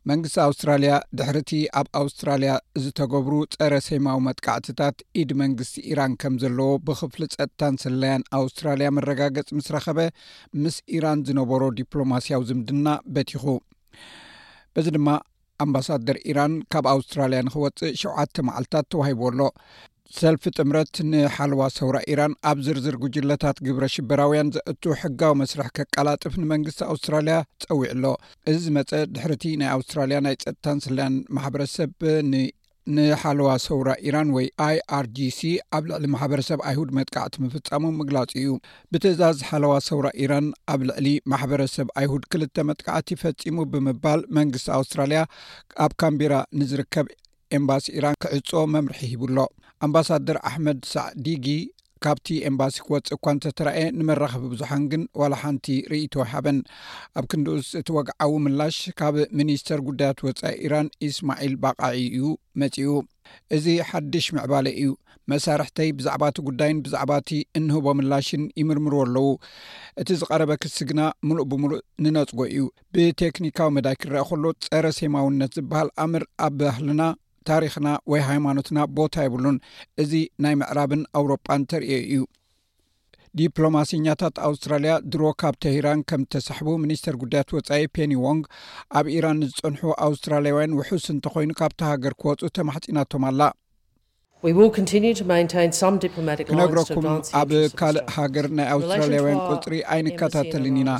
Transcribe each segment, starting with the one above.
መንግስቲ ኣውስትራልያ ድሕርቲ ኣብ ኣውስትራልያ ዝተገብሩ ጸረ ሴማዊ መጥቃዕትታት ኢድ መንግስቲ ኢራን ከም ዘለዎ ብክፍሊ ጸጥታን ስለያን ኣውስትራልያ መረጋገጽ ምስ ረኸበ፣ ምስ ኢራን ዝነበሮ ዲፕሎማስያዊ ዝምድና በቲኹ። በዚ ድማ ኣምባሳደር ኢራን ካብ ኣውስትራልያ ንክወጽእ ሸውዓተ መዓልታት ተዋሂቡ ኣሎ። ሰልፊ ጥምረት ንሓለዋ ሰውራ ኢራን ኣብ ዝርዝር ጉጅለታት ግብረ ሽበራውያን ዘእቱ ሕጋዊ መስርሕ ከቀላጥፍ ንመንግስቲ ኣውስትራልያ ጸዊዑ ኣሎ። እዚ ዝመጸ ድሕርቲ ናይ ኣውስትራልያ ናይ ጸጥታን ስለያን ማሕበረሰብ ን-፣ ንሓለዋ ሰውራ ኢራን ወይ ኣይኣርጂሲ ኣብ ልዕሊ ማሕበረሰብ ኣይሁድ መጥቃዕቲ ምፍጻሙ ምግላጹ እዩ። ብትእዛዝ ሓለዋ ሰውራ ኢራን ኣብ ልዕሊ ማሕበረሰብ ኣይሁድ ክልተ መጥቃዕቲ ፈጺሙ ብምባል መንግስቲ ኣውስትራልያ ኣብ ካምቤራ ንዝርከብ ኤምባሲ ኢራን ክዕጾ መምርሒ ሂቡ ኣሎ። ኣምባሳደር ኣሕመድ ሳዕዲጊ ካብቲ ኤምባሲ ክወጽእ እኳ እንተተራእየ፣ ንመራኸቢ ብዙሓን ግን ዋላ ሓንቲ ርእይቶ ኣይሃበን። ኣብ ክንድኡስ፣ እቲ ወግዓዊ ምላሽ ካብ ሚኒስተር ጉዳያት ወጻኢ ኢራን ኢስማዒል ባቃዒ እዩ መጺኡ። "እዚ ሓድሽ ምዕባለ እዩ። መሳርሕተይ ብዛዕባ እቲ ጉዳይን ብዛዕባ እቲ እንህቦ ምላሽን ይምርምሩ ኣለዉ። እቲ ዝቐረበ ክሲ ግና ምሉእ ብምሉእ ንነጽጎ እዩ። ብቴክኒካዊ መዳይ ክረአ ከሎ፣ ጸረ ሴማውነት ዝበሃል ኣምር ኣብ ባህልና፣ ታሪኽና ወይ ሃይማኖትና ቦታ የብሉን። እዚ ናይ ምዕራብን ኣውሮጳን ተርእዮ እዩ።" ዲፕሎማሲኛታት ኣውስትራልያ ድሮ ካብ ተሂራን ከም እተሳሕቡ ሚኒስተር ጉዳያት ወጻኢ ፔኒ ዎንግ፣ ኣብ ኢራን ዝጸንሑ ኣውስትራልያውያን ውሑስ እንተኾይኑ ካብታ ሃገር ክወጹ ተማሕጺናቶም ኣላ። We will continue to maintain some diplomatic lines to ክነግረኩም፣ advance the ኣብ interests of ካልእ Australia. ሃገር ናይ ኣውስትራልያውያን ቁጽሪ ኣይንከታተልን ኢና።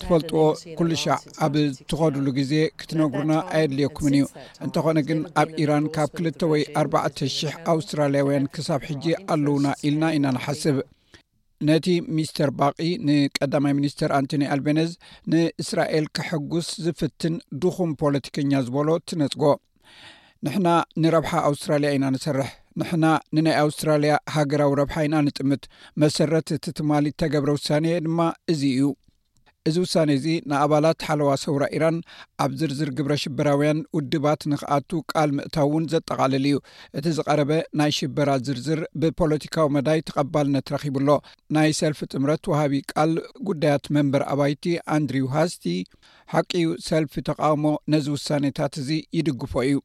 ትፈልጥዎ፣ ኩሉ ሻዕ ኣብ ትኸዱሉ ግዜ ክትነግሩና ኣየድልየኩምን እዩ። እንተኾነ ግን፣ ኣብ ኢራን ካብ ክልተ ወይ ኣርባዕተ ሽሕ ኣውስትራልያውያን ክሳብ ሕጂ ኣለውና ኢልና ኢና ንሓስብ። ነቲ ሚስተር ባቂ፣ ንቀዳማይ ሚኒስተር ኣንቶኒ ኣልቤነዝ፣ ንእስራኤል ከሐጉስ ዝፍትን ድኹም ፖለቲከኛ ዝበሎ ትነጽጎ። "ንሕና ንረብሓ ኣውስትራልያ ኢና ንሰርሕ። ንሕና ንናይ ኣውስትራልያ ሃገራዊ ረብሓ ኢና ንጥምት። መሰረት እቲ ትማሊ እተገብረ ውሳኔ ድማ እዚ እዩ። እዚ ውሳኔ እዚ ንኣባላት ሓለዋ ሰውራ ኢራን ኣብ ዝርዝር ግብረ ሽበራውያን ውድባት ንኽኣቱ ቃል ምእታው እውን ዘጠቓልል እዩ። እቲ ዝቐረበ ናይ ሽበራ ዝርዝር ብፖለቲካዊ መዳይ ተቐባልነት ረኺቡ ኣሎ።" ናይ ሰልፊ ጥምረት ወሃቢ ቃል ጉዳያት መንበር ኣባይቲ ኣንድሪው ሃስቲ፣ "ሓቂ እዩ፣ ሰልፊ ተቃውሞ ነዚ ውሳኔታት እዚ ይድግፎ እዩ።"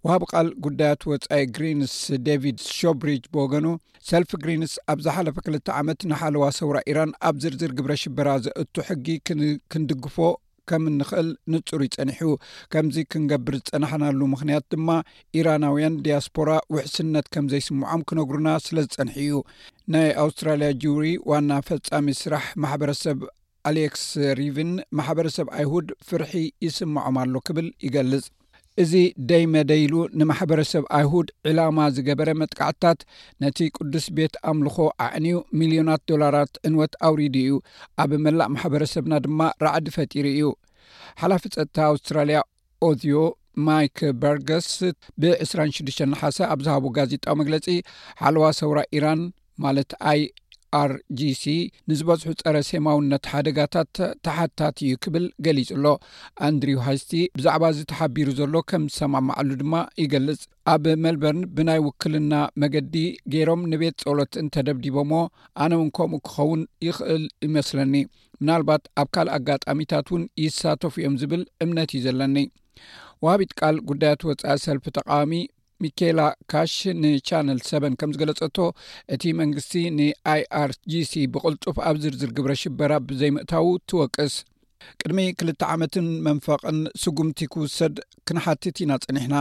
ወሃቢ ቃል ጉዳያት ወጻኢ ግሪንስ ዴቪድ ሾብሪጅ ብወገኑ፣ ሰልፊ ግሪንስ ኣብ ዝሓለፈ ክልተ ዓመት ንሓለዋ ሰውራ ኢራን ኣብ ዝርዝር ግብረ ሽበራ ዘእቱ ሕጊ ክን-፣ ክንድግፎ ከም እንኽእል ንጹር እዩ ጸኒሑ። ከምዚ ክንገብር ዝጸናሕናሉ ምኽንያት ድማ፣ ኢራናውያን ዲያስፖራ ውሕስነት ከም ዘይስምዖም ክነግሩና ስለ ዝጸንሑ እዩ። ናይ ኣውስትራልያ ጁሪ ዋና ፈጻሚ ስራሕ ማሕበረሰብ ኣሌክስ ሪቪን፣ ማሕበረሰብ ኣይሁድ ፍርሒ ይስምዖም ኣሎ ክብል ይገልጽ። "እዚ ደይ መደይ ኢሉ ንማሕበረሰብ ኣይሁድ ዕላማ ዝገበረ መጥቃዕትታት፣ ነቲ ቅዱስ ቤት ኣምልኾ ኣዕንዩ፣ ሚልዮናት ዶላራት ዕንወት ኣውሪዱ እዩ። ኣብ መላእ ማሕበረሰብና ድማ ራዕዲ ፈጢሩ እዩ።" ሓላፊ ጸጥታ ኣውስትራልያ ኦዝዮ ማይክ በርገስ ብ ዕስራን ሽዱሽተን ነሓሰ ኣብ ዝሃቦ ጋዜጣዊ መግለጺ፣ ሓለዋ ሰውራ ኢራን፣ ማለት ኣይኣርጂሲ፣ ንዝበዝሑ ጸረ ሴማውነት ሓደጋታት ተሓታቲ እዩ ክብል ገሊጹ ኣሎ። ኣንድሪው ሃስቲ ብዛዕባ እዚ ተሓቢሩ ዘሎ ከም ዝሰማማዓሉ ድማ ይገልጽ። "ኣብ ሜልበርን ብናይ ውክልና መገዲ ገይሮም ንቤት ጸሎት እንተደብዲቦሞ፣ ኣነ እውን ከምኡ ክኸውን ይኽእል ይመስለኒ። ምናልባት ኣብ ካልእ ኣጋጣሚታት እውን ይሳተፉ እዮም ዝብል እምነት እዩ ዘለኒ።" ወሃቢት ቃል ጉዳያት ወጻኢ ሰልፊ ተቃዋሚ ሚኬላ ካሽ ንቻነል ሰበን ከም ዝገለጸቶ፣ እቲ መንግስቲ ንኣይኣርጂሲ ብቕልጡፍ ኣብ ዝርዝር ግብረ ሽበራ ብዘይምእታዉ ትወቅስ። "ቅድሚ ክልተ ዓመትን መንፈቕን ስጉምቲ ክውሰድ ክንሓትት ኢና ጸኒሕና።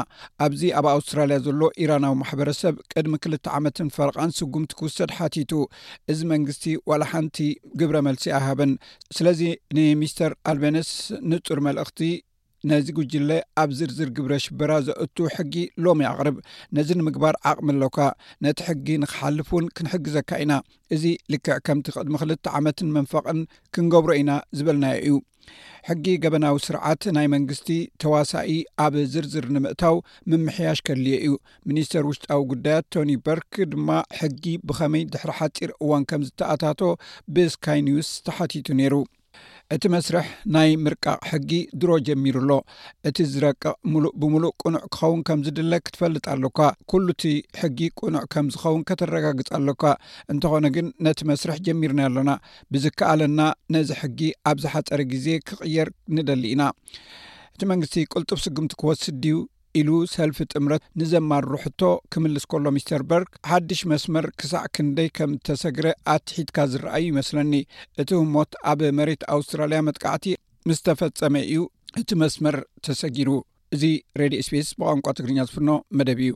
ኣብዚ ኣብ ኣውስትራልያ ዘሎ ኢራናዊ ማሕበረሰብ ቅድሚ ክልተ ዓመትን ፈረቓን ስጉምቲ ክውሰድ ሓቲቱ። እዚ መንግስቲ ዋላ ሓንቲ ግብረ መልሲ ኣይሃበን። ስለዚ ንሚስተር ኣልቤነስ ንጹር መልእኽቲ፣ ነዚ ጉጅለ ኣብ ዝርዝር ግብረ ሽበራ ዘእቱ ሕጊ ሎሚ ኣቕርብ። ነዚ ንምግባር ዓቕሚ ኣሎካ። ነቲ ሕጊ ንኽሓልፍ እውን ክንሕግዘካ ኢና። እዚ ልክዕ ከምቲ ቅድሚ ክልተ ዓመትን መንፈቕን ክንገብሮ ኢና ዝበልናዮ እዩ። ሕጊ ገበናዊ ስርዓት ናይ መንግስቲ ተዋሳኢ ኣብ ዝርዝር ንምእታው ምምሕያሽ ከድልዮ እዩ።" ሚኒስተር ውሽጣዊ ጉዳያት ቶኒ በርክ ድማ ሕጊ ብኸመይ ድሕሪ ሓጺር እዋን ከም ዝተኣታቶ ብስካይ ኒውስ ተሓቲቱ ነይሩ። "እቲ መስርሕ ናይ ምርቃቕ ሕጊ ድሮ ጀሚሩ ኣሎ። እቲ ዝረቅቕ ምሉእ ብምሉእ ቅኑዕ ክኸውን ከም ዝድለ ክትፈልጥ ኣሎካ። ኩሉ እቲ ሕጊ ቅኑዕ ከም ዝኸውን ከተረጋግጽ ኣሎካ። እንተኾነ ግን ነቲ መስርሕ ጀሚርናዮ ኣሎና። ብዝከኣለና ነዚ ሕጊ ኣብ ዝሓጸረ ግዜ ክቕየር ንደሊ ኢና።" እቲ መንግስቲ ቅልጡፍ ስጉምቲ ክወስድ ድዩ ኢሉ ሰልፊ ጥምረት ንዘማርሮ ሕቶ ክምልስ ከሎ፣ ሚስተር በርግ ሓድሽ መስመር ክሳዕ ክንደይ ከም እተሰግረ ኣትሒትካ ዝረኣዩ ይመስለኒ። እቲ ህሞት ኣብ መሬት ኣውስትራልያ መጥቃዕቲ ምስ ተፈጸመ እዩ እቲ መስመር ተሰጊሩ። እዚ ሬድዮ ኤስቢኤስ ብቋንቋ ትግርኛ ዝፍኖ መደብ እዩ።